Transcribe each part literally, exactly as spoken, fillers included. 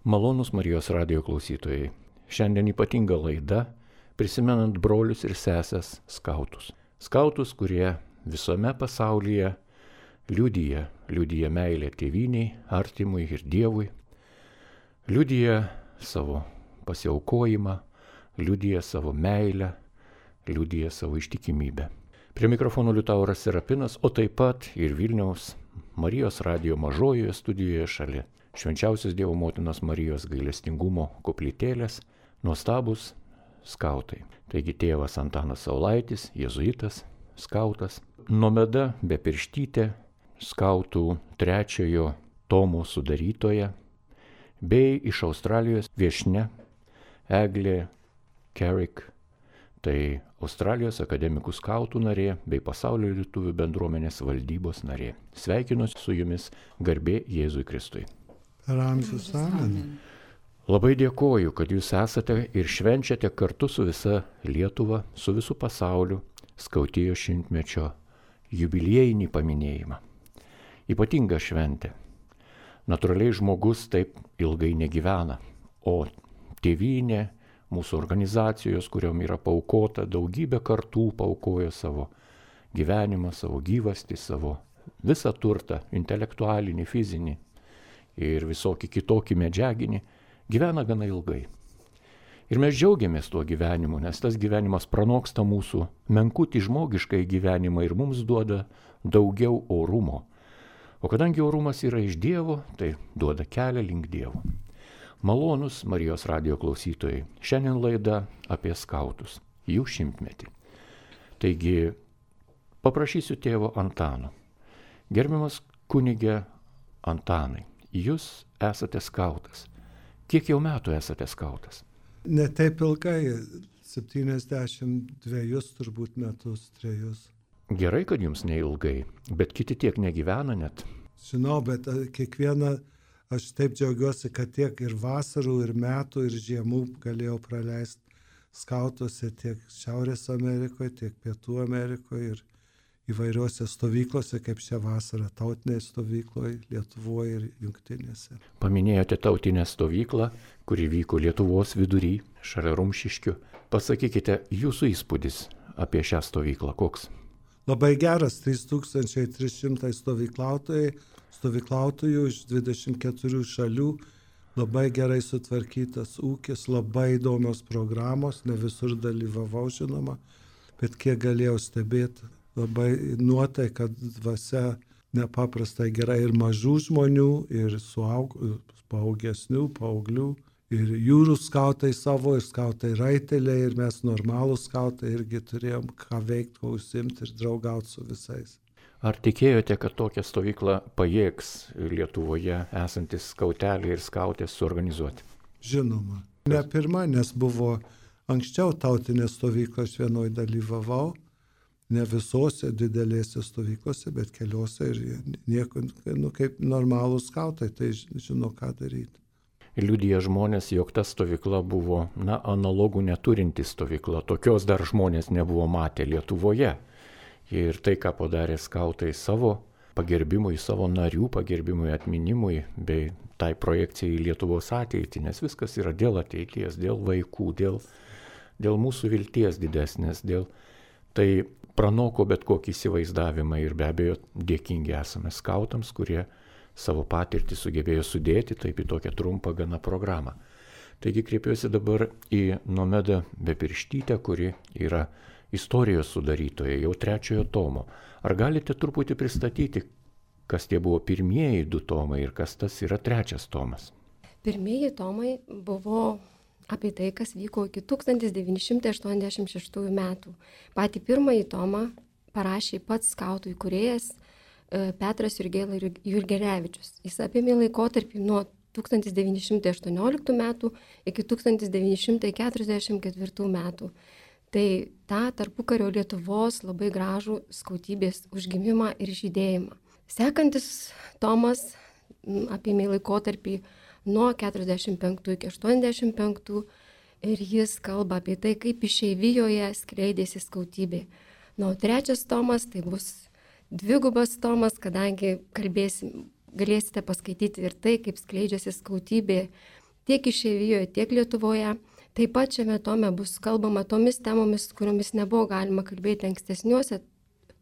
Malonūs Marijos radijo klausytojai. Šiandien ypatinga laida, prisimenant brolius ir sesės skautus. Skautus, kurie visame pasaulyje liudija, liudija meilę tėvynei, artimui ir Dievui, liudija savo pasiaukojimą, liudija savo meilę, liudija savo ištikimybę. Prie mikrofono Liutauras Serapinas, o taip pat ir Vilniaus Marijos radijo mažojoje studijoje šalia Švenčiausios Dievo motinos Marijos gailestingumo koplytėlės nuostabus skautai. Taigi tėvas Antanas Saulaitis, jėzuitas, skautas, Nomeda Bepirštytė, skautų trečiojo tomo sudarytoja, bei iš Australijos viešnia Eglė Carrick, tai Australijos akademikų skautų narė bei pasaulio lietuvių bendruomenės valdybos narė. Sveikinuosi su jumis, garbė Jėzui Kristui. Per amžius amen. Labai dėkoju, kad jūs esate ir švenčiate kartu su visa Lietuva, su visu pasauliu skautijos šimtmečio jubiliejinį paminėjimą. Ypatinga šventė. Natūraliai žmogus taip ilgai negyvena, o tėvynė, mūsų organizacijos, kuriom yra paaukota daugybė kartų, paaukojo savo gyvenimą, savo gyvastį, savo visą turtą, intelektualinį, fizinį ir visokį kitokį medžiaginį, gyvena gana ilgai. Ir mes džiaugiamės tuo gyvenimu, nes tas gyvenimas pranoksta mūsų menkutį žmogiškai gyvenimą ir mums duoda daugiau orumo. O kadangi orumas yra iš Dievo, tai duoda kelią link Dievo. Malonūs Marijos radijo klausytojai, šiandien laida apie skautus, jų šimtmetį. Taigi, paprašysiu tėvo Antano. Gerbiamas kunige Antanai, jūs esate skautas. Kiek jau metų esate skautas? Ne taip ilgai, septyniasdešimt dviejus turbūt metus, trejus. Gerai, kad jums neilgai, bet kiti tiek negyvena net. Žinau, bet kiekvieną, aš taip džiaugiuosi, kad tiek ir vasarų, ir metų, ir žiemų galėjau praleisti skautuose tiek Šiaurės Amerikoje, tiek Pietų Amerikoje ir įvairiuose stovyklose, kaip šią vasarą, tautinėje stovykloje, Lietuvoje ir Jungtinėse. Paminėjote tautinę stovyklą, kuri vyko Lietuvos vidury, šalia Rumšiškių. Pasakykite, jūsų įspūdis apie šią stovyklą koks? Labai geras, trys tūkstančiai trys šimtai stovyklautojai, stovyklautojų iš dvidešimt keturių šalių, labai gerai sutvarkytas ūkis, labai įdomios programos, ne visur dalyvavau žinoma, bet kiek galėjau stebėti. Labai nuotaika, dvasia nepaprastai gerai ir mažų žmonių, ir suaug, paaugesnių, paauglių, ir jūrų skautai savo, ir skautai raiteliai, ir mes normalūs skautai irgi turėjom ką veikti, ko užsimti ir draugauti su visais. Ar tikėjote, kad tokią stovyklą pajėgs Lietuvoje esantis skauteliai ir skautės suorganizuoti? Žinoma. Ne pirma, nes buvo anksčiau tautinė stovykla, aš vienoj dalyvavau. Ne visose didelėse stovyklose, bet keliose ir nieko, nu, kaip normalūs skautai, tai žino, ką daryti. Liudija žmonės, jog ta stovykla buvo, na, analogų neturinti stovykla. Tokios dar žmonės nebuvo matę Lietuvoje. Ir tai, ką padarė skautai savo pagerbimui, savo narių pagerbimui, atminimui, bei tai projekcijai į Lietuvos ateitį, nes viskas yra dėl ateities, dėl vaikų, dėl, dėl mūsų vilties didesnės, dėl tai pranoko bet kokį įsivaizdavimą ir be abejo dėkingi esame skautams, kurie savo patirtį sugebėjo sudėti taip į tokią trumpą gana programą. Taigi kreipiuosi dabar į Nomedą Bepirštytę, kuri yra istorijos sudarytoja, jau trečiojo tomo. Ar galite truputį pristatyti, kas tie buvo pirmieji du tomai ir kas tas yra trečias tomas? Pirmieji tomai buvo apie tai, kas vyko iki tūkstantis devyni šimtai aštuoniasdešimt šeštųjų metų. Patį pirmąjį tomą parašė pats skautų įkūrėjas Petras Jurgėla Jurgelevičius. Jis apėmė laikotarpį nuo tūkstantis devyni šimtai aštuonioliktų metų iki tūkstantis devyni šimtai keturiasdešimt ketvirtų metų. Tai tą tarpukario Lietuvos labai gražų skautybės užgimimą ir žydėjimą. Sekantis tomas apėmė laikotarpį nuo keturiasdešimt penktų iki aštuoniasdešimt penktų ir jis kalba apie tai, kaip išeivijoje skleidėsi skautybė. Na, o trečias tomas tai bus dvigubas tomas, kadangi kalbėsim, galėsite paskaityti ir tai, kaip skleidžiasi skautybė tiek išeivijoje, tiek Lietuvoje. Taip pat šiame tome bus kalbama tomis temomis, kuriomis nebuvo galima kalbėti ankstesniuose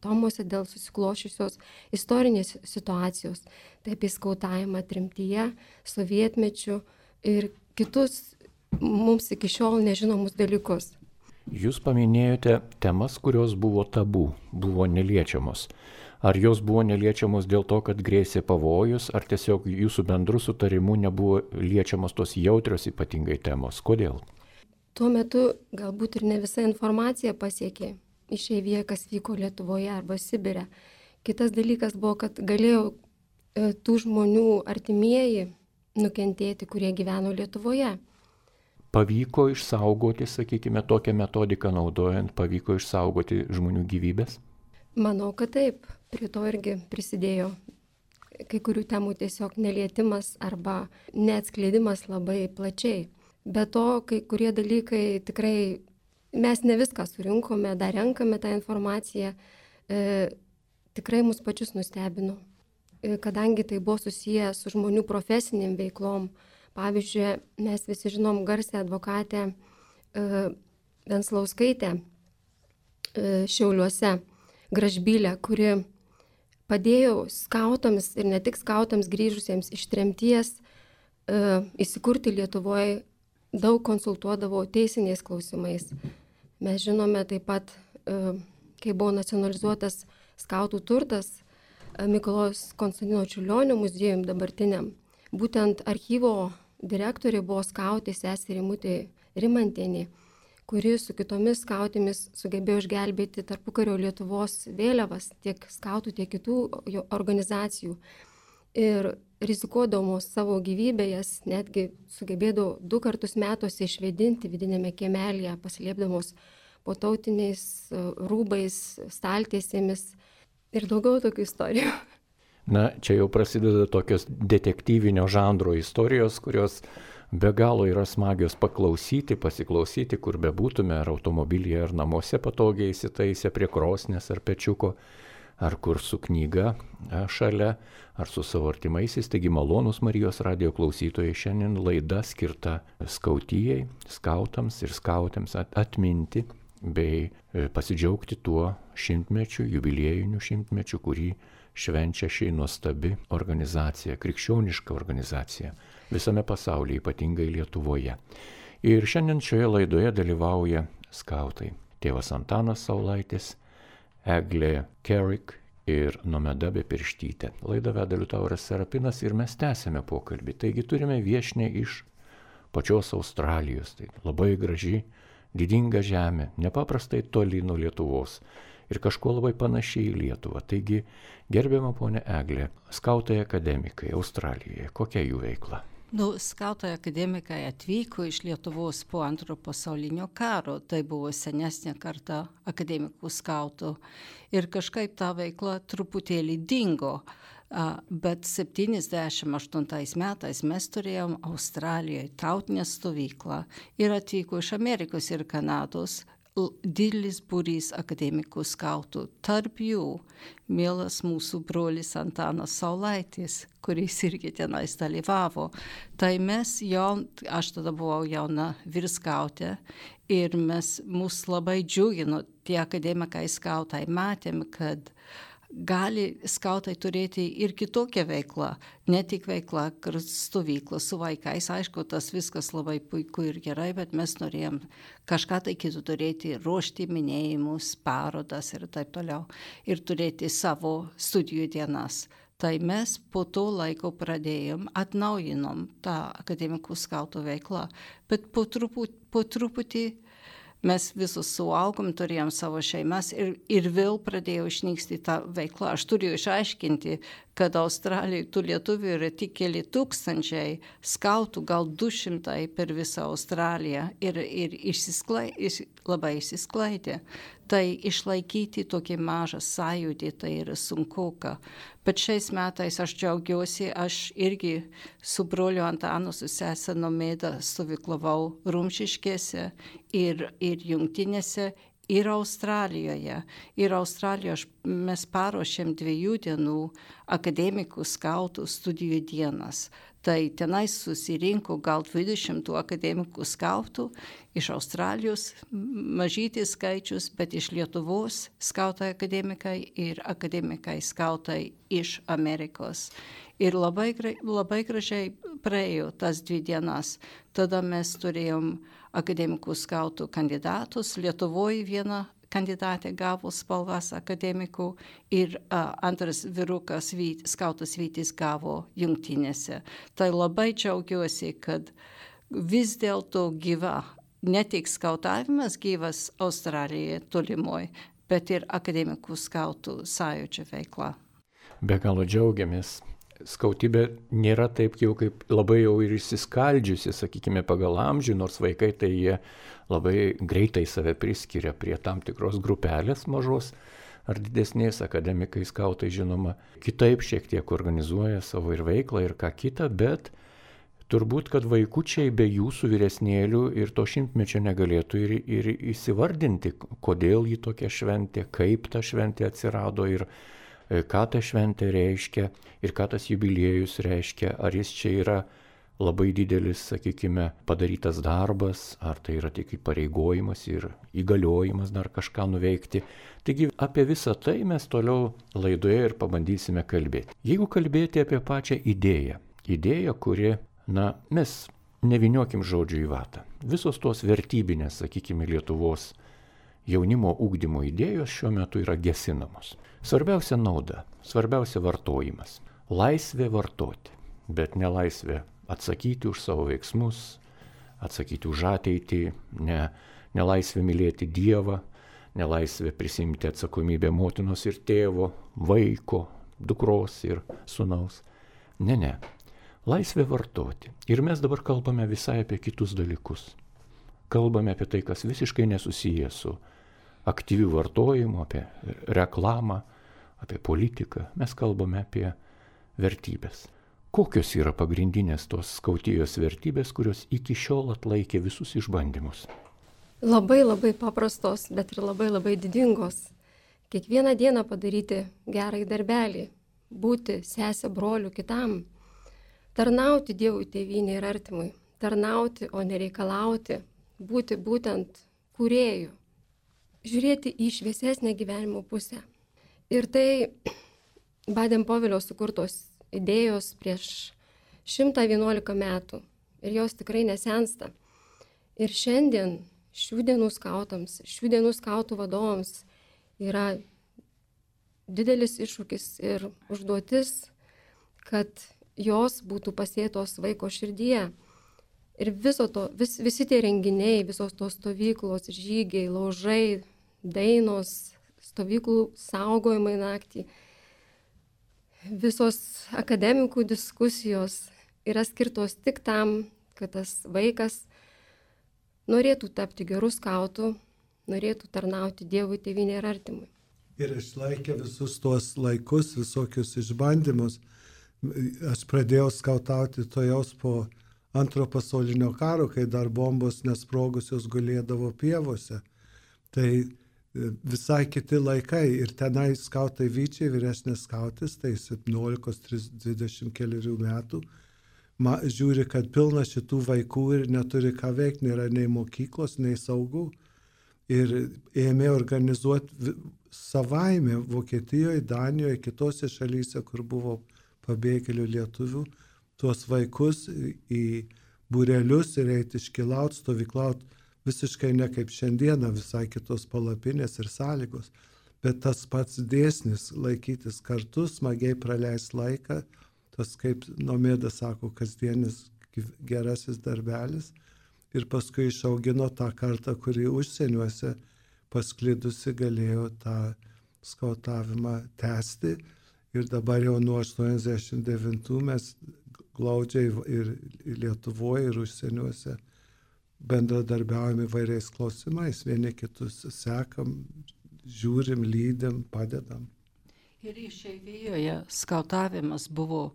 tomuose dėl susiklošiusios istorinės situacijos. Tai apie skautavimą tremtyje, sovietmečių ir kitus mums iki šiol nežinomus dalykus. Jūs paminėjote temas, kurios buvo tabu, buvo neliečiamos. Ar jos buvo neliečiamos dėl to, kad grėsė pavojus, ar tiesiog jūsų bendrų sutarimų nebuvo liečiamos tos jautrios ypatingai temos? Kodėl? Tuo metu galbūt ir ne visa informacija pasiekė išeivijoje, kas vyko Lietuvoje arba Sibire. Kitas dalykas buvo, kad galėjo e, tų žmonių artimieji nukentėti, kurie gyveno Lietuvoje. Pavyko išsaugoti, sakykime, tokią metodiką naudojant, pavyko išsaugoti žmonių gyvybės? Manau, kad taip. Prie to irgi prisidėjo kai kurių temų tiesiog nelietimas arba neatskleidimas labai plačiai. Be to, kai kurie dalykai tikrai, mes ne viską surinkome, dar renkame tą informaciją, e, tikrai mus pačius nustebino, e, kadangi tai buvo susiję su žmonių profesiniam veiklom. Pavyzdžiui, mes visi žinom garsę advokatę e, Venslauskaitę e, Šiauliuose, Gražbylę, kuri padėjo skautams ir ne tik skautams grįžusiems iš tremties e, įsikurti Lietuvoje, daug konsultuodavo teisiniais klausimais. Mes žinome taip pat, e, kai buvo nacionalizuotas skautų turtas e, Mikalojaus Konstantino Čiurlionio muziejum dabartiniam, būtent archyvo direktorė buvo skautė sesė Rimutė Rimantienė, kuri su kitomis skautėmis sugebėjo išgelbėti tarpukario Lietuvos vėliavas, tiek skautų, tiek kitų organizacijų. Ir rizikuodamos savo gyvybę, jas netgi sugebėdavo du kartus metuose išvedinti vidinėme kiemelėje, paslėpdamos po tautiniais rūbais, staltiesėmis ir daugiau tokių istorijų. Na, čia jau prasideda tokios detektyvinio žanro istorijos, kurios be galo yra smagios paklausyti, pasiklausyti, kur bebūtume, ar automobilyje, ar namuose patogiai įsitaisę prie krosnės ar pečiuko, ar kur su knyga šalia, ar su savo artimaisiais. Taigi malonūs Marijos radijo klausytojai, šiandien laida skirta skautijai, skautams ir skautėms atminti bei pasidžiaugti tuo šimtmečiu, jubiliejiniu šimtmečiu, kurį švenčia ši nuostabi organizacija, krikščioniška organizacija visame pasaulyje, ypatingai Lietuvoje. Ir šiandien šioje laidoje dalyvauja skautai. Tėvas Antanas Saulaitis, Eglė Kerik ir Nomeda Bepirštytė. Laidą veda Liutauras Serapinas ir mes tęsėme pokalbį. Taigi turime viešnią iš pačios Australijos. Tai labai graži, didinga žemė, nepaprastai toli nuo Lietuvos. Ir kažkuo labai panašiai į Lietuvą. Taigi, gerbiama ponė Eglė, skautai akademikai Australijoje, kokia jų veikla? Nu, skautai akademikai atvyko iš Lietuvos po antro pasaulinio karo, tai buvo senesnė karta akademikų skautų. Ir kažkaip ta veikla truputėlį dingo, bet septyniasdešimt aštuntais metais mes turėjom Australijoje tautinę stovyklą ir atvyko iš Amerikos ir Kanados didelis būrys akademikų skautų. Tarp jų mielas mūsų brolis Antanas Saulaitis, kuris irgi tenais dalyvavo. Tai mes jau, aš tada buvau jauna vyrskautė ir mes mus labai džiugino tie akademikai skautai. Matėm, kad gali skautai turėti ir kitokią veiklą, ne tik veiklą stovyklą su vaikais. Aišku, tas viskas labai puiku ir gerai, bet mes norėjom kažką tai kitų turėti, ruošti minėjimus, parodas ir taip toliau. Ir turėti savo studijų dienas. Tai mes po to laiko pradėjom, atnaujinom tą akademikų skautų veiklą, bet po truputį, po truputį mes visus suaugom, turėjom savo šeimas ir, ir vėl pradėjo išnyksti tą veiklą. Aš turėjau išaiškinti, kad Australijoje tų lietuvių yra tik keli tūkstančiai, skautų gal du šimtai per visą Australiją ir, ir išsisklai, iš, labai išsisklaidė. Tai išlaikyti tokį mažą sąjūdį, tai yra sunkuka. Bet šiais metais aš džiaugiuosi, aš irgi su broliu Antanu, su sese Nomeda stovyklavau Rumšiškėse ir, ir Jungtinėse ir Australijoje. Ir Australijoje mes paruošėm dviejų dienų akademikų skautų studijų dienas. Tai tenai susirinko gal dvidešimt akademikų skautų iš Australijos, mažytis skaičius, bet iš Lietuvos skautai akademikai ir akademikai skautai iš Amerikos. Ir labai, labai gražiai praėjo tas dvi dienas. Tada mes turėjom akademikų skautų kandidatus. Lietuvoje viena kandidatė gavo spalvas akademikų ir a, antras vyrukas, vyt, skautas Vytis, gavo jungtinėse. Tai labai džiaugiuosi, kad vis dėlto gyva, ne tik skautavimas gyvas Australijoje tolimoje, bet ir akademikų skautų sąjūdžio veikla. Be galo džiaugiamės. Skautybė nėra taip jau kaip labai jau ir išsiskaldžiusi, sakykime, pagal amžių, nors vaikai tai jie labai greitai save priskiria prie tam tikros grupelės mažos ar didesnės, akademikai skautai žinoma kitaip šiek tiek organizuoja savo ir veiklą ir ką kitą, bet turbūt, kad vaikučiai be jūsų vyresnėlių ir to šimtmečio negalėtų ir, ir įsivardinti, kodėl jį tokia šventė, kaip ta šventė atsirado ir ką ta šventė reiškia ir ką tas jubiliejus reiškia, ar jis čia yra labai didelis, sakykime, padarytas darbas, ar tai yra tik įpareigojimas ir įgaliojimas dar kažką nuveikti. Taigi apie visą tai mes toliau laidoje ir pabandysime kalbėti. Jeigu kalbėti apie pačią idėją, idėją, kuri, na, mes neviniokim žodžių į vatą. Visos tos vertybinės, sakykime, Lietuvos jaunimo ugdymo idėjos šiuo metu yra gesinamos. Svarbiausia nauda, svarbiausia vartojimas. Laisvė vartoti, bet ne laisvė atsakyti už savo veiksmus, atsakyti už ateitį, ne, ne laisvė mylėti Dievą, ne laisvė prisimti atsakomybę motinos ir tėvo, vaiko, dukros ir sūnaus. Ne, ne. Laisvė vartoti. Ir mes dabar kalbame visai apie kitus dalykus. Kalbame apie tai, kas visiškai nesusiję su aktyviu vartojimu, apie reklamą, apie politiką. Mes kalbame apie vertybės. Kokios yra pagrindinės tos skautijos vertybės, kurios iki šiol atlaikė visus išbandymus? Labai labai paprastos, bet ir labai labai didingos. Kiekvieną dieną padaryti gerąjį darbelį, būti sesė broliu kitam, tarnauti Dievui, tėvynei ir artimui, tarnauti, o nereikalauti, būti būtent kūrėju, žiūrėti į šviesesnę gyvenimo pusę. Ir tai Baden-Powellio sukurtos idėjos prieš šimtą vienuolika metų ir jos tikrai nesensta. Ir šiandien šių dienų skautams, šių dienų skautų vadovams yra didelis iššūkis ir užduotis, kad jos būtų pasėtos vaiko širdyje. Ir viso to, vis, visi tie renginiai, visos tos stovyklos, žygiai, laužai, dainos, stovyklų saugojimai naktį, visos akademikų diskusijos yra skirtos tik tam, kad tas vaikas norėtų tapti gerų skautų, norėtų tarnauti Dievui, tėvynei ir artimui. Ir išlaikė visus tuos laikus, visokius išbandymus. Aš pradėjau skautauti tojaus po antro pasaulinio karo, kai dar bombos nesprogusios gulėdavo pievose. Tai visai kiti laikai ir tenai skautai Vyčiai, vyresnės skautis, tai septyniolikos dvidešimt kelių metų, ma, žiūri, kad pilna šitų vaikų ir neturi ką veikti, nėra nei mokyklos, nei saugų. Ir ėmė organizuoti savaime Vokietijoje, Danijoje, kitose šalyse, kur buvo pabėgėlių lietuvių, tuos vaikus į būrelius ir eiti iškilaut, stovyklaut, visiškai ne kaip šiandieną, visai kitos palapinės ir sąlygos, bet tas pats dėsnis laikytis kartu, smagiai praleis laiką, tas kaip Nomėda sako, kasdienis gerasis darbelis, ir paskui išaugino tą kartą, kuri užsieniuose pasklidusi galėjo tą skautavimą tęsti, ir dabar jau nuo aštuoniasdešimt devintų mes glaudžiai ir Lietuvoje, ir užsieniuose bendradarbiaujame įvairiais klausimais, vieni kitus sekam, žiūrim, lydim, padedam. Ir išeivijoje skautavimas buvo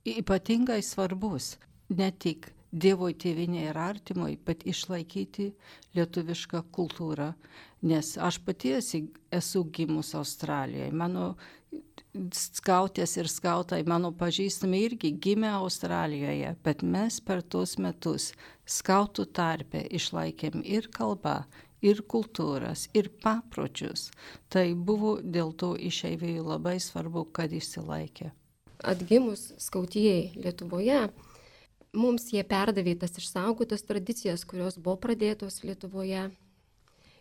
ypatingai svarbus, ne tik Dievui, tėvynė ir artimui, bet išlaikyti lietuvišką kultūrą. Nes aš pati esu gimus Australijoje. Mano skautės ir skautai, mano pažįstami irgi gimė Australijoje, bet mes per tuos metus skautų tarpe išlaikėm ir kalbą, ir kultūras, ir papročius. Tai buvo dėl to išeivijų labai svarbu, kad išsilaikė. Atgimus skautijai Lietuvoje, mums jie perdavė tas išsaugotas tradicijas, kurios buvo pradėtos Lietuvoje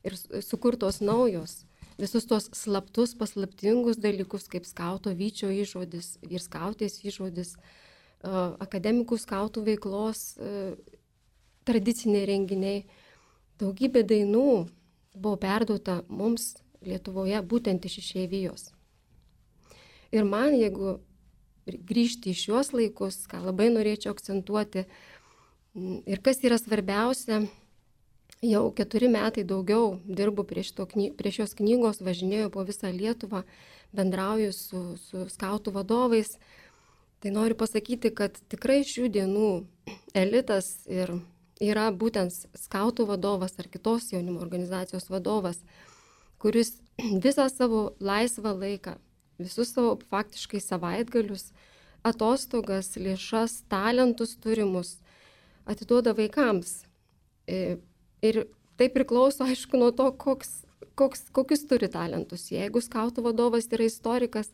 ir sukurtos naujos. Visus tos slaptus, paslaptingus dalykus, kaip skauto Vyčio įžodis ir skautės įžodis, akademikų skautų veiklos tradiciniai renginiai. Daugybė dainų buvo perduota mums Lietuvoje būtent iš išeivijos. Ir man, jeigu grįžti į šiuos laikus, ką labai norėčiau akcentuoti, ir kas yra svarbiausia, jau keturi metai daugiau dirbu prie, šito, prie šios knygos, važinėjau po visą Lietuvą, bendrauju su, su skautų vadovais. Tai noriu pasakyti, kad tikrai šių dienų elitas ir yra būtent skautų vadovas ar kitos jaunimo organizacijos vadovas, kuris visą savo laisvą laiką, visus savo faktiškai savaitgalius, atostogas, lėšas, talentus turimus atiduoda vaikams. Ir tai priklauso, aišku, nuo to, koks, koks, kokius turi talentus. Jeigu skautų vadovas yra istorikas,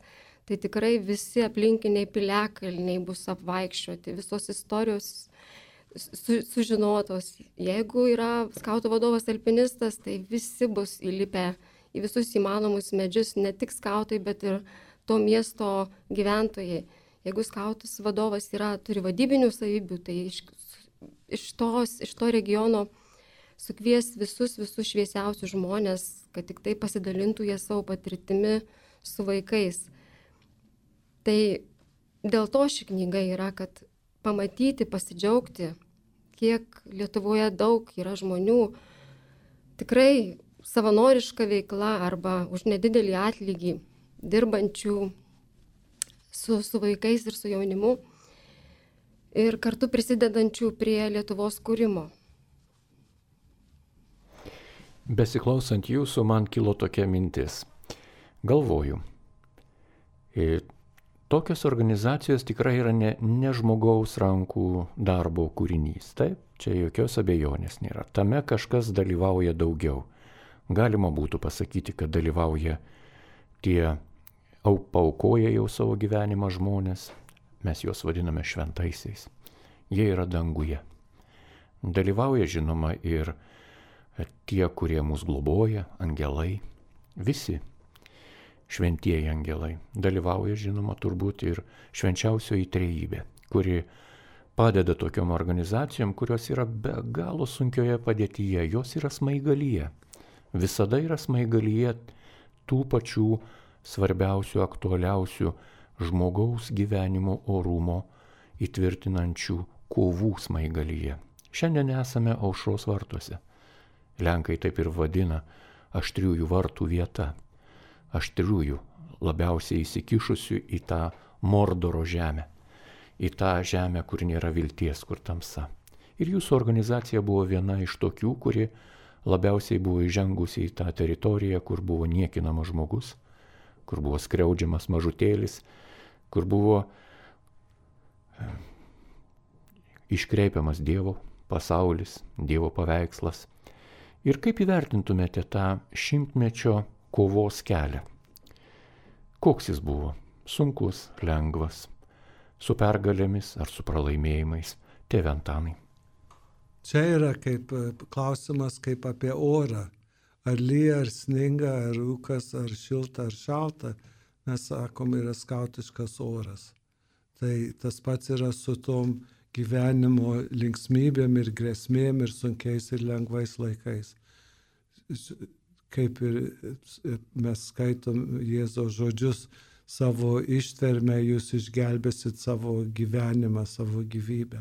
tai tikrai visi aplinkiniai piliakalniai bus apvaikščioti, visos istorijos su, sužinotos. Jeigu yra skautų vadovas alpinistas, tai visi bus įlipę į visus įmanomus medžius, ne tik skautai, bet ir to miesto gyventojai. Jeigu skautas vadovas yra, turi vadybinių savybių, tai iš, iš, tos, iš to regiono sukvies visus, visus šviesiausius žmonės, kad tik tai pasidalintų jie savo patirtimi su vaikais. Tai dėl to ši knyga yra, kad pamatyti, pasidžiaugti, kiek Lietuvoje daug yra žmonių, tikrai savanoriška veikla arba už nedidelį atlygį dirbančių su, su vaikais ir su jaunimu ir kartu prisidedančių prie Lietuvos kūrimo. Besiklausant jūsų, man kilo tokia mintis. Galvoju, tokios organizacijos tikrai yra ne, ne žmogaus rankų darbo kūrinys. Taip, čia jokios abejonės nėra. Tame kažkas dalyvauja daugiau. Galima būtų pasakyti, kad dalyvauja tie paukoja jau savo gyvenimą žmonės. Mes juos vadiname šventaisiais. Jie yra danguje. Dalyvauja, žinoma, ir tie, kurie mus globoja, angelai, visi šventieji angelai. Dalyvauja, žinoma, turbūt ir švenčiausioji trejybė, kuri padeda tokiom organizacijom, kurios yra be galo sunkioje padėtyje. Jos yra smaigalyje. Visada yra smaigalyje tų pačių svarbiausių, aktualiausių žmogaus gyvenimo orumo įtvirtinančių kovų smaigalyje. Šiandien esame Aušros vartuose. Lenkai taip ir vadina aštriųjų vartų vieta. Aštriųjų, labiausiai įsikišusių į tą Mordoro žemę. Į tą žemę, kur nėra vilties, kur tamsa. Ir jūsų organizacija buvo viena iš tokių, kuri labiausiai buvo įžengusi į tą teritoriją, kur buvo niekinamas žmogus, kur buvo skriaudžiamas mažutėlis, kur buvo iškreipiamas Dievo pasaulis, Dievo paveikslas. Ir kaip įvertintumėte tą šimtmečio kovos kelią? Koks jis buvo? Sunkus, lengvas, su pergalėmis ar su pralaimėjimais? Tėve Antanai. Čia yra kaip klausimas kaip apie orą. Ar lyja, ar sninga, ar rūkas, ar šilta, ar šalta. Mes sakom, yra skautiškas oras. Tai tas pats yra su tom gyvenimo linksmybėm ir grėsmėm ir sunkiais ir lengvais laikais. Kaip ir mes skaitom Jėzaus žodžius, savo ištvermę jūs išgelbėsit savo gyvenimą, savo gyvybę.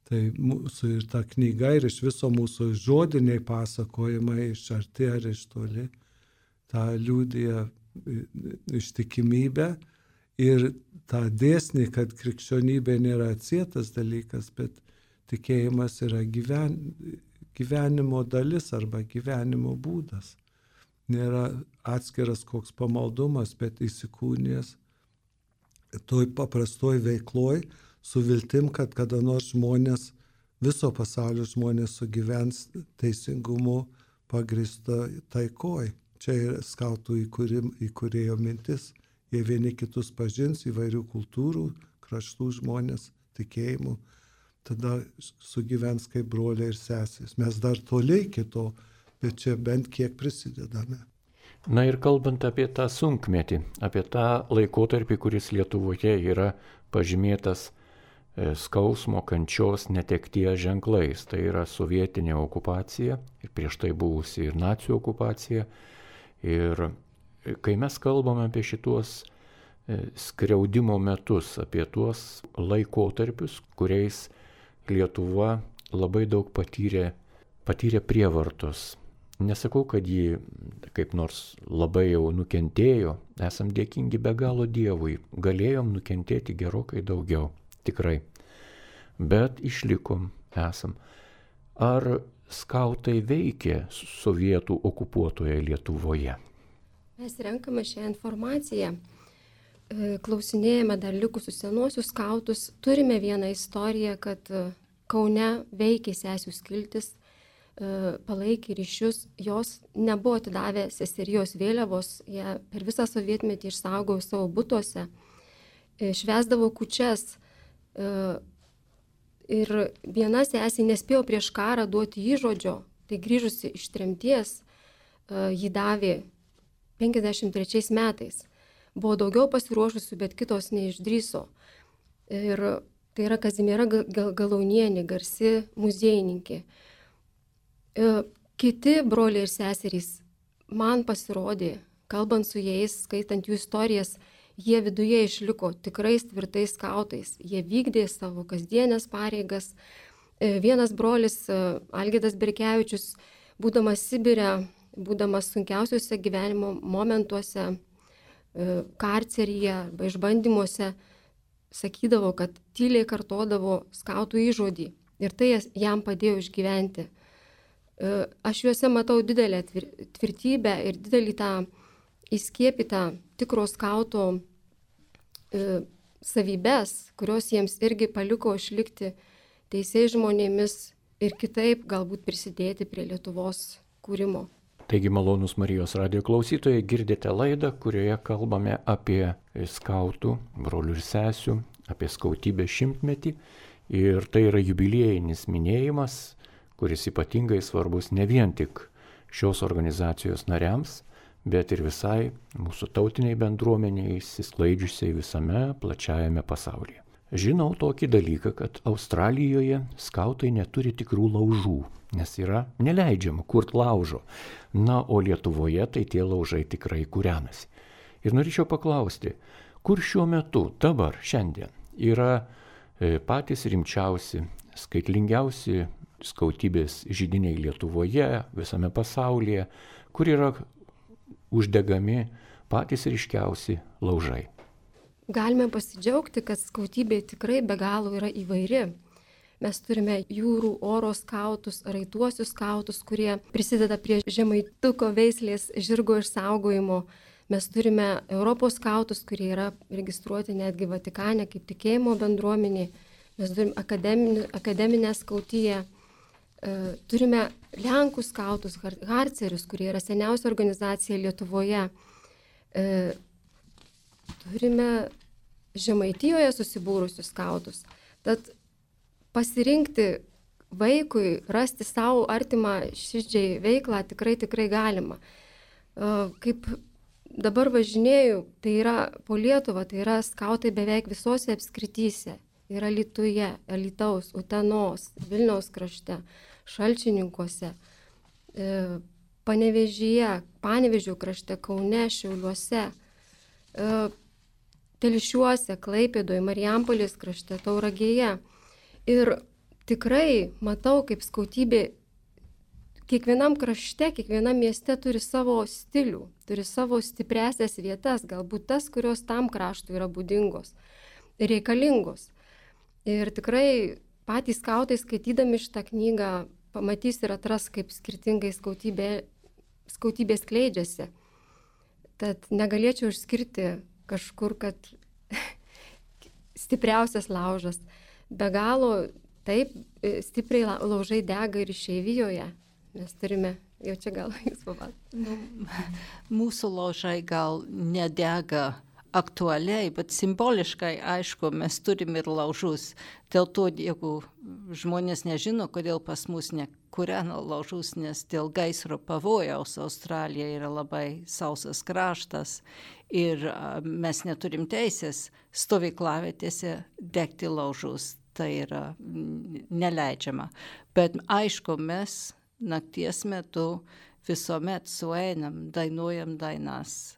Tai mūsų ir ta knyga ir iš viso mūsų žodiniai pasakojimai iš arti ar iš toli, tą liudija ištikimybę ir tą dėsnį, kad krikščionybė nėra atsietas dalykas, bet tikėjimas yra gyven, gyvenimo dalis arba gyvenimo būdas. Nėra atskiras koks pamaldumas, bet įsikūnijęs toj paprastoj veikloj su viltim, kad kada nors žmonės, viso pasaulio žmonės sugyvens teisingumu pagrįsta taikoj. Čia yra skautų įkūrim, įkūrėjo mintis. Jie vieni kitus pažins, įvairių kultūrų, kraštų žmonės, tikėjimų, tada sugyvens kaip broliai ir sesės. Mes dar toliai iki to, bet čia bent kiek prisidedame. Na ir kalbant apie tą sunkmetį, apie tą laikotarpį, kuris Lietuvoje yra pažymėtas skausmo, kančios, netekties ženklais. Tai yra sovietinė okupacija ir prieš tai buvusi ir nacių okupacija. Ir kai mes kalbame apie šituos skriaudimo metus, apie tuos laikotarpius, kuriais Lietuva labai daug patyrė, patyrė prievartos. Nesakau, kad ji kaip nors labai jau nukentėjo, esam dėkingi be galo Dievui, galėjom nukentėti gerokai daugiau, tikrai, bet išlikom, esam. Ar skautai veikė sovietų okupuotoje Lietuvoje? Mes renkame šią informaciją, klausinėjame dar likusius senuosius skautus, turime vieną istoriją, kad Kaune veikė sesių skiltis, palaikė ryšius, jos nebuvo atidavę seserijos vėliavos, jie per visą sovietmetį išsaugojo savo butuose, švęsdavo kūčias ir viena sesė nespėjo prieš karą duoti įžodžio, tai grįžusi iš tremties jį davė penkiasdešimt trečiais metais. Buvo daugiau pasiruošusių, bet kitos neišdrįso. Ir tai yra Kazimiera Galaunienė, garsi muziejininkė. Kiti broliai ir seserys, man pasirodė, kalbant su jais, skaitant jų istorijas, jie viduje išliko tikrais tvirtais skautais. Jie vykdė savo kasdienės pareigas. Vienas brolis, Algirdas Berkevičius, būdamas Sibire, būdamas sunkiausiuose gyvenimo momentuose, karceryje arba išbandymuose, sakydavo, kad tyliai kartodavo skautų įžodį. Ir tai jam padėjo išgyventi. Aš juose matau didelę tvirtybę ir didelį tą įskiepytą tikro skauto savybės, kurios jiems irgi paliko išlikti teisiais žmonėmis ir kitaip galbūt prisidėti prie Lietuvos kūrimo. Taigi, malonūs Marijos radijo klausytojai, girdite laidą, kurioje kalbame apie skautų, brolių ir sesių, apie skautybės šimtmetį. Ir tai yra jubiliejinis minėjimas, kuris ypatingai svarbus ne vien tik šios organizacijos nariams, bet ir visai mūsų tautiniai bendruomeniai, įsisklaidžiusiai visame plačiajame pasaulyje. Žinau tokį dalyką, kad Australijoje skautai neturi tikrų laužų, nes yra neleidžiama kurt laužo. Na, o Lietuvoje tai tie laužai tikrai kūrenasi. Ir norėčiau paklausti, kur šiuo metu, dabar, šiandien, yra patys rimčiausi, skaitlingiausi skautybės židiniai Lietuvoje, visame pasaulyje, kur yra uždegami patys ryškiausi laužai. Galime pasidžiaugti, kad skautybė tikrai be galo yra įvairi. Mes turime jūrų, oro skautus, raituosius skautus, kurie prisideda prie žemaituko veislės žirgo išsaugojimo. Mes turime Europos skautus, kurie yra registruoti netgi Vatikane kaip tikėjimo bendruomenė. Mes turime akademinę, akademinę skautiją. Turime Lenkų skautus, harcerius, kurie yra seniausia organizacija Lietuvoje. Turime Žemaitijoje susibūrusius skautus. Tad pasirinkti vaikui, rasti savo artimą širdžiai veiklą tikrai tikrai galima. Kaip dabar važinėju, tai yra po Lietuvą, tai yra skautai beveik visose apskrityse. Yra Alytuje, Alytaus, Utenos, Vilniaus krašte, Šalčininkuose, Panevėžyje, Panevėžio krašte, Kaune, Šiauliuose, Telšiuose, Klaipėdoje, Marijampolės krašte, Tauragėje. Ir tikrai matau, kaip skautybė kiekvienam krašte, kiekvienam mieste turi savo stilių, turi savo stipresias vietas, galbūt tas, kurios tam kraštui yra būdingos, reikalingos. Ir tikrai patys skautai skaitydami šitą knygą pamatys ir atras, kaip skirtingai skautybė, skautybė skleidžiasi. Tad negalėčiau išskirti kažkur, kad stipriausias laužas. Be galo taip stipriai laužai dega ir išeivijoje. Mes turime, jau čia gal jūs papasakosite. Nu, mūsų laužai gal nedega aktualiai, bet simboliškai, aišku, mes turim ir laužus. Dėl to, jeigu žmonės nežino, kodėl pas mus nekūrena laužus, nes dėl gaisro pavojaus Australija yra labai sausas kraštas ir mes neturim teisės stovyklavietėse degti laužus. Tai yra neleidžiama. Bet aišku, mes nakties metu visuomet sueinam, dainuojam dainas,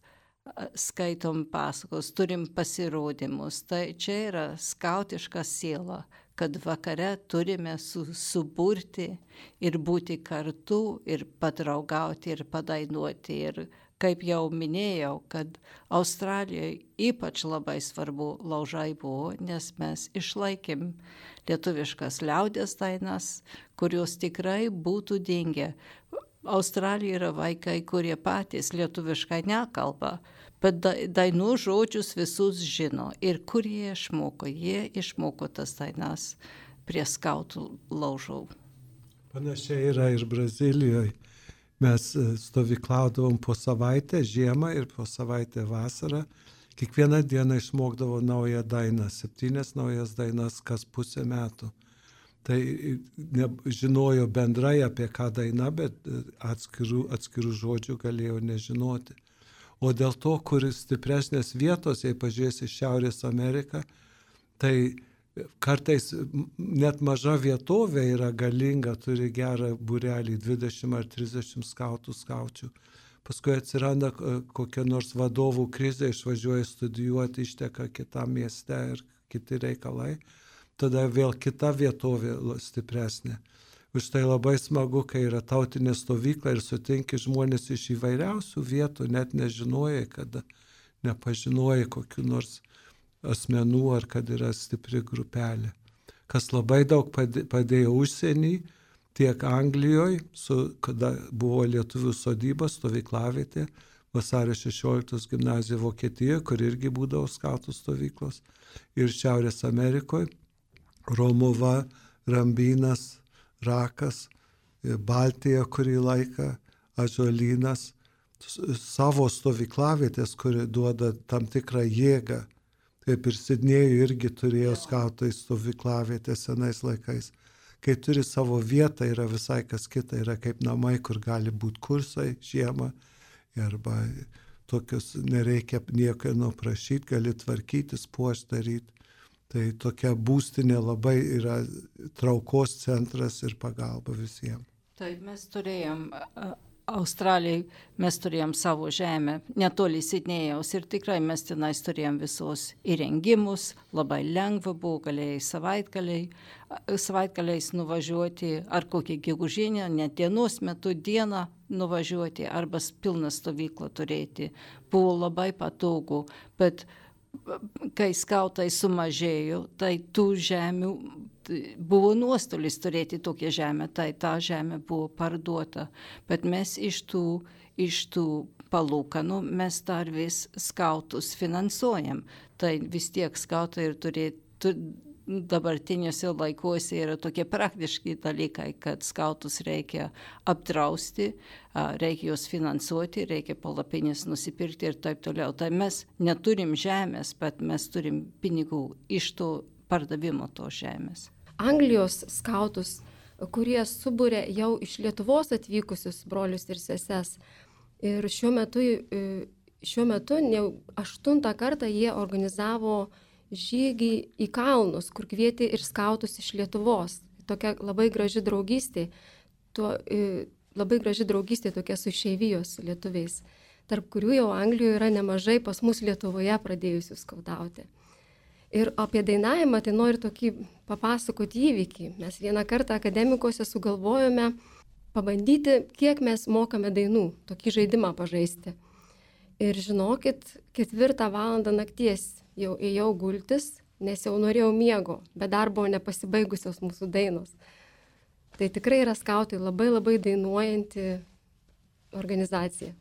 skaitom pasakos, turim pasirodymus. Tai čia yra skautiška siela, kad vakare turime su, suburti ir būti kartu ir padraugauti ir padainuoti. Ir kaip jau minėjau, kad Australijoje ypač labai svarbu laužai buvo, nes mes išlaikėm lietuviškas liaudies dainas, kurios tikrai būtų dingę. Australijoje yra vaikai, kurie patys lietuviškai nekalba, bet dainų žodžius visus žino. Ir kur jie išmoko? Jie išmoko tas dainas prie skautų laužų. Panašiai yra ir Brazilijoje. Mes stovyklaudavom po savaitę žiemą ir po savaitę vasarą. Kiekvieną dieną išmokdavo naują dainą, septynias naujas dainas kas pusę metų. Tai ne, žinojo bendrai apie ką daina, bet atskirų, atskirų žodžių galėjo nežinoti. O dėl to, kur stipresnės vietos, jei pažiūrėsi Šiaurės Ameriką, tai kartais net maža vietovė yra galinga, turi gerą būrelį, dvidešimt ar trisdešimt skautų, skaučių. Paskui atsiranda kokia nors vadovų krizė, išvažiuoja studijuoti, išteka kitam mieste ir kiti reikalai. Tada vėl kita vietovė stipresnė. Už tai labai smagu, kai yra tautinė stovykla ir sutinki žmonės iš įvairiausių vietų, net nežinojai, kada nepažinojai kokių nors asmenų ar kad yra stipri grupelė. Kas labai daug padėjo užsienį, tiek Anglijoje, su, kada buvo lietuvių sodyba, stovyklavietė, vasario šešioliktos gimnazija Vokietijoje, kur irgi būdavo skautų stovyklos, ir Šiaurės Amerikoje, Romuva, Rambynas, Rakas, Baltija kurį laiką, Ąžuolynas, savo stovyklavietės, kuri duoda tam tikrą jėgą. Kaip ir Sidnėjų irgi turėjo skautai stovyklavietę senais laikais. Kai turi savo vietą, yra visai kas kita, yra kaip namai, kur gali būti kursai žiemą, arba tokius nereikia nieko prašyti, gali tvarkytis, puošti daryti. Tai tokia būstinė labai yra traukos centras ir pagalba visiems. Taip, mes turėjom Australijai, mes turėjom savo žemę, netoli Sidnėjaus ir tikrai mes tenais turėjom visos įrengimus, labai lengva buvo, galėjai savaitgaliai, savaitgaliais nuvažiuoti, ar kokį gegužinę, net dienos metu dieną nuvažiuoti, arba pilną stovyklą turėti. Buvo labai patogu, bet kai skautai sumažėjo, tai tų žemių buvo nuostolis turėti tokią žemę, tai ta žemė buvo parduota. Bet mes iš tų, iš tų palūkanų mes dar vis skautus finansuojam. Tai vis tiek skautai ir turėtų dabartiniuose laikuose yra tokie praktiški dalykai, kad skautus reikia apdrausti, reikia juos finansuoti, reikia palapinės nusipirkti ir taip toliau. Tai mes neturim žemės, bet mes turim pinigų iš to pardavimo to žemės. Anglijos skautus, kurie subūrė jau iš Lietuvos atvykusius brolius ir seses. Ir šiuo metu, šiuo metu jau aštuntą kartą jie organizavo žygį į kalnus, kur kvietė ir skautus iš Lietuvos. Tokia labai graži draugystė, tuo, labai graži draugystė tokia su išeivijos lietuviais, tarp kurių jau Anglijoje yra nemažai pas mus Lietuvoje pradėjusių skautauti. Ir apie dainavimą tai noriu tokį papasakoti įvykį. Mes vieną kartą akademikose sugalvojome pabandyti, kiek mes mokame dainų, tokį žaidimą pažaisti. Ir žinokit, ketvirtą valandą nakties jau ėjau gultis nes jau norėjau miego, bet dar buvo nepasibaigusios mūsų dainos. Tai tikrai yra skautai labai labai dainuojanti organizacija.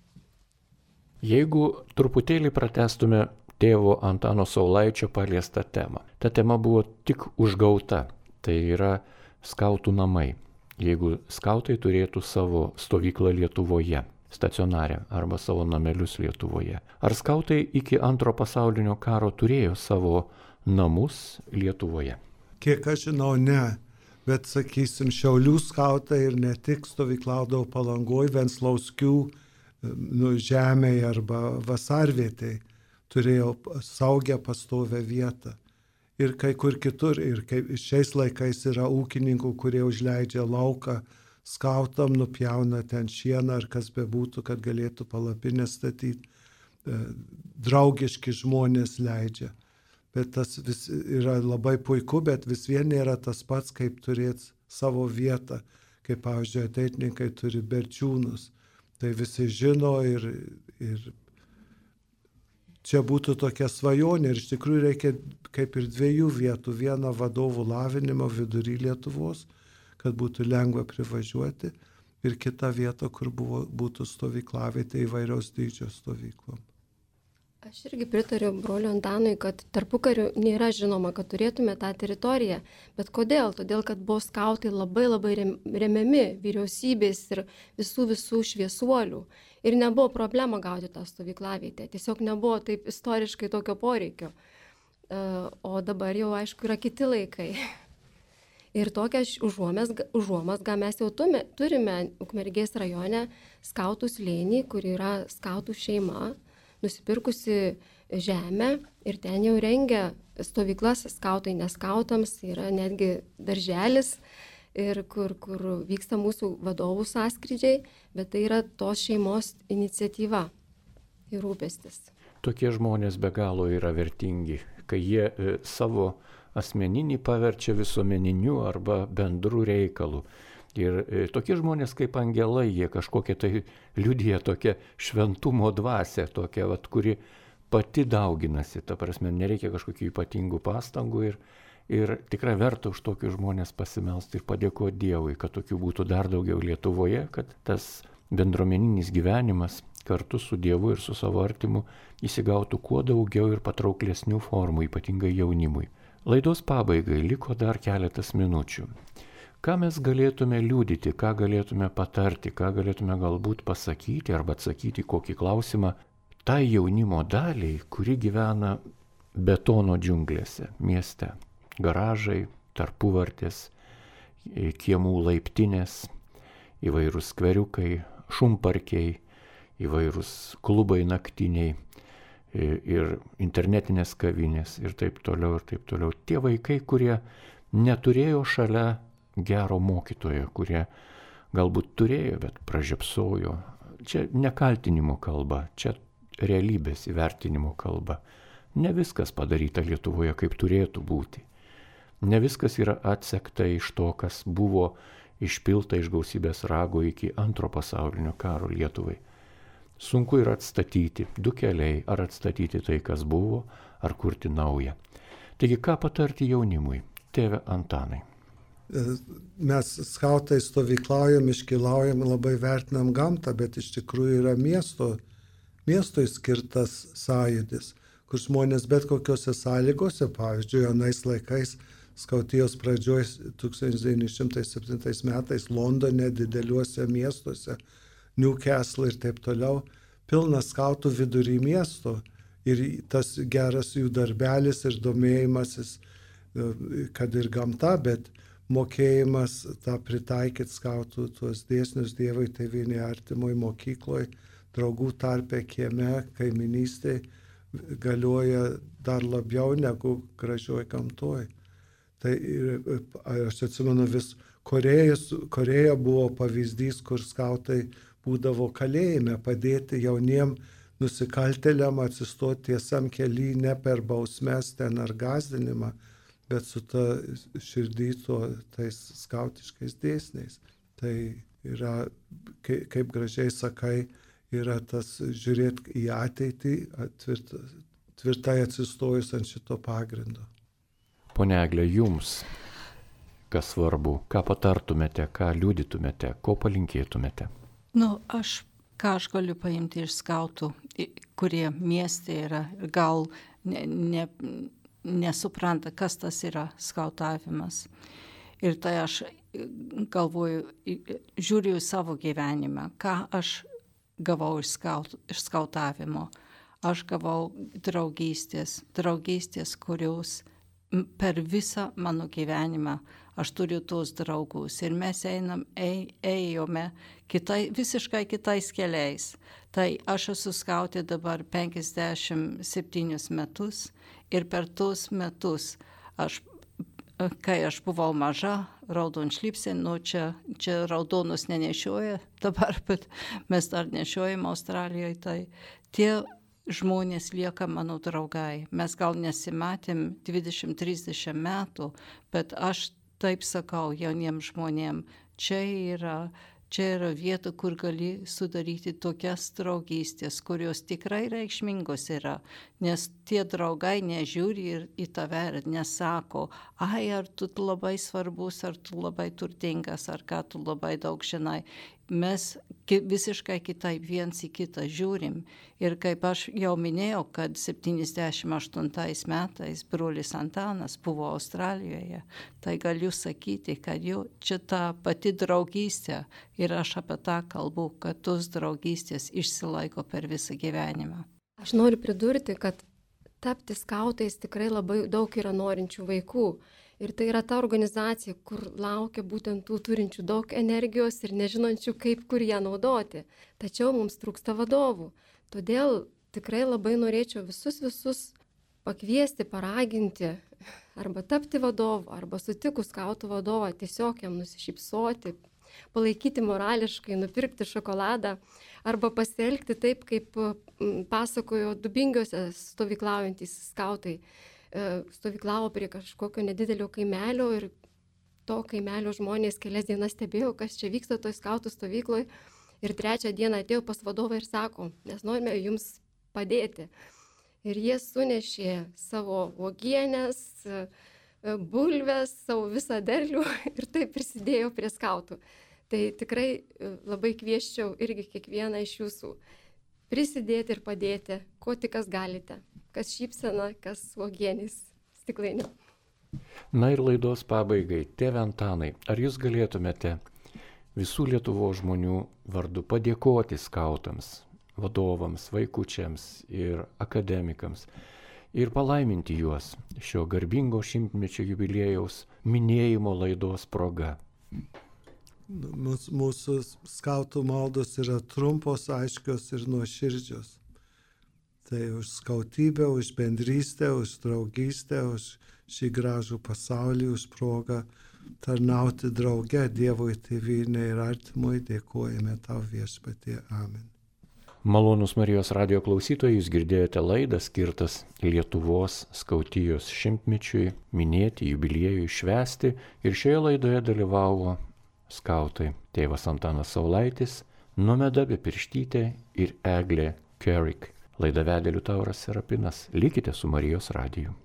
Jeigu truputėlį pratestume tėvo Antano Saulaičio paliestą temą. Ta tema buvo tik užgauta, tai yra skautų namai. Jeigu skautai turėtų savo stovyklą Lietuvoje, stacionarę arba savo namelius Lietuvoje. Ar skautai iki antro pasaulinio karo turėjo savo namus Lietuvoje? Kiek aš žinau, ne. Bet, sakysim, Šiaulių skautai ir ne tik stovyklaudavo Palangoj, Venclauskių nu, žemėje arba vasarvietėje turėjo saugę pastovę vietą. Ir kai kur kitur, ir kaip šiais laikais yra ūkininkų, kurie užleidžia lauką skautam, nupjauna ten šieną ar kas bebūtų, kad galėtų palapinę statyti. Draugiški žmonės leidžia. Bet tas vis yra labai puiku, bet vis vien nėra tas pats, kaip turėti savo vietą. Kaip, pavyzdžiui, ateitininkai turi berčiūnus. Tai visi žino ir, ir čia būtų tokia svajonė. Ir iš tikrųjų reikia kaip ir dviejų vietų. Vieną vadovų lavinimo vidury Lietuvos, kad būtų lengva privažiuoti. Ir kitą vietą, kur buvo, būtų stovyklavietė įvairiaus dydžio stovyklom. Aš irgi pritariu broliu Antanui, kad tarpukariu nėra žinoma, kad turėtume tą teritoriją. Bet kodėl? Todėl, kad buvo skautai labai labai remiami vyriausybės ir visų visų šviesuolių. Ir nebuvo problema gauti tą stovyklavietę. Tiesiog nebuvo taip istoriškai tokio poreikio. O dabar jau, aišku, yra kiti laikai. Ir tokią užuomazgą mes jau turime Ukmergės rajone skautų slėnį, kur yra skautų šeima, nusipirkusi žemę ir ten jau rengia stovyklas skautai neskautams, yra netgi darželis, ir kur, kur vyksta mūsų vadovų sąskrydžiai, bet tai yra tos šeimos iniciatyva ir rūpestis. Tokie žmonės be galo yra vertingi, kai jie e, savo asmeninį paverčia visuomeniniu arba bendru reikalu. Ir e, tokie žmonės kaip angelai, jie kažkokie tai liudija tokią šventumo dvasią, tokią, vat, kuri pati dauginasi. Ta prasme, nereikia kažkokių ypatingų pastangų ir, ir tikrai verta už tokius žmonės pasimelsti ir padėkoti Dievui, kad tokių būtų dar daugiau Lietuvoje, kad tas bendruomeninis gyvenimas kartu su Dievu ir su savo artimu įsigautų kuo daugiau ir patrauklesnių formų, ypatingai jaunimui. Laidos pabaigai liko dar keletas minučių. Ką mes galėtume liudyti, ką galėtume patarti, ką galėtume galbūt pasakyti arba atsakyti kokį klausimą tai jaunimo daliai, kuri gyvena betono džiunglėse mieste. Garažai, tarpuvartės, kiemų laiptinės, įvairūs skveriukai, šumparkiai, įvairūs klubai naktiniai ir internetinės kavinės ir taip toliau ir taip toliau. Tie vaikai, kurie neturėjo šalia gero mokytojo, kurie galbūt turėjo, bet pražiopsojo. Čia ne kaltinimo kalba, čia realybės įvertinimo kalba. Ne viskas padaryta Lietuvoje, kaip turėtų būti. Ne viskas yra atsekta iš to, kas buvo išpilta iš gausybės rago iki antro pasaulinio karo Lietuvai. Sunku yra atstatyti du keliai, ar atstatyti tai, kas buvo, ar kurti naują. Taigi, ką patarti jaunimui, tėve Antanai? Mes skautai stovyklaujam, iškilaujam, labai vertinam gamtą, bet iš tikrųjų yra miesto, miestui skirtas sąjūdis, kur žmonės bet kokiose sąlygose, pavyzdžiui, anais laikais, skautijos pradžioj tūkstantis devyni šimtai septintais metais Londone, dideliuose miestuose, Newcastle ir taip toliau, pilnas skautų vidury miesto ir tas geras jų darbelis ir domėjimasis, kad ir gamta, bet mokėjimas tą pritaikyti skautų tuos dėsnius Dievui, tėvynėje, artimoj mokykloj, draugų tarpe, kieme, kaiminystėj galioja dar labiau negu gražioj gamtoj. Tai ir, aš atsimenu vis, Korėjas, Korėja buvo pavyzdys, kur skautai būdavo kalėjime padėti jauniem nusikaltėliam atsistoti tiesam kely ne per bausmes ten ar gąsdinimą, bet su ta širdį to tais skautiškais dėsniais. Tai yra, kaip, kaip gražiai sakai, yra tas žiūrėti į ateitį tvirt, tvirtai atsistojus ant šito pagrindo. Pone Egle, jums kas svarbu, ką patartumėte, ką liudytumėte, ko palinkėtumėte? Nu, aš, ką aš galiu paimti iš skautų, kurie mieste yra, gal ne, ne, nesupranta, kas tas yra skautavimas. Ir tai aš galvoju, žiūriu į savo gyvenimą, ką aš gavau iš, skaut, iš skautavimo. Aš gavau draugystės, draugystės, kurios per visą mano gyvenimą aš turiu tuos draugus ir mes einam, ej, ėjome kitai, visiškai kitais keliais. Tai aš esu skautė dabar penkiasdešimt septynis metus ir per tuos metus, aš, kai aš buvau maža, raudonšlipsė, nu čia, čia raudonus nenešioja dabar, bet mes dar nešiojam Australijoje, tai tie žmonės lieka mano draugai. Mes gal nesimatėm dvidešimt trisdešimt metų, bet aš taip sakau jauniems žmonėms, čia yra, čia yra vieta, kur gali sudaryti tokias draugystės, kurios tikrai reikšmingos yra, nes tie draugai nežiūri ir į tave ir nesako, ai, ar tu labai svarbus, ar tu labai turtingas, ar ką tu labai daug žinai. Mes visiškai kitaip viens į kitą žiūrim. Ir kaip aš jau minėjau, kad septyniasdešimt aštuntais metais brolis Antanas buvo Australijoje, tai galiu sakyti, kad jau čia ta pati draugystė ir aš apie tą kalbu, kad tos draugystės išsilaiko per visą gyvenimą. Aš noriu pridurti, kad tapti skautais tikrai labai daug yra norinčių vaikų. Ir tai yra ta organizacija, kur laukia būtent tų turinčių daug energijos ir nežinančių, kaip kur ją naudoti. Tačiau mums trūksta vadovų. Todėl tikrai labai norėčiau visus visus pakviesti, paraginti, arba tapti vadovu, arba sutikus skautų vadovą, tiesiog jam nusišypsoti, palaikyti morališkai, nupirkti šokoladą, arba pasielgti taip, kaip pasakojo Dubingiuose stovyklaujantys skautai. Stovyklavo prie kažkokio nedidelio kaimelio ir to kaimelio žmonės kelias dienas stebėjo, kas čia vyksta toj skautų stovykloje. Ir trečią dieną atėjo pas vadovą ir sako, mes norime jums padėti. Ir jie sunešė savo uogienės, bulves, savo visą derlių ir taip prisidėjo prie skautų. Tai tikrai labai kvieščiau irgi kiekvieną iš jūsų prisidėti ir padėti, ko tik kas galite. Kas šypsena, kas uogienės stiklainė. Na ir laidos pabaigai, tėve Antanai, ar jūs galėtumėte visų Lietuvos žmonių vardu padėkoti skautams, vadovams, vaikučiams ir akademikams ir palaiminti juos šio garbingo šimtmečio jubiliejaus minėjimo laidos proga? Mūsų, mūsų skautų maldos yra trumpos, aiškios ir nuoširdžios. Tai už skautybę, už bendrystę, už draugystę, už šį gražų pasaulį, už progą tarnauti drauge Dievui, Tėvynei ir artimui. Dėkojame tau viešpatie. Amen. Malonūs Marijos radijo klausytojai, jūs girdėjote laidą skirtas Lietuvos skautijos šimtmečiui minėti, jubiliejui švęsti. Ir šioje laidoje dalyvavo skautai tėvas Antanas Saulaitis, Nomeda Bepirštytė ir Eglė Kerik. Laidą vedė Liutauras Serapinas. Likite su Marijos radiju.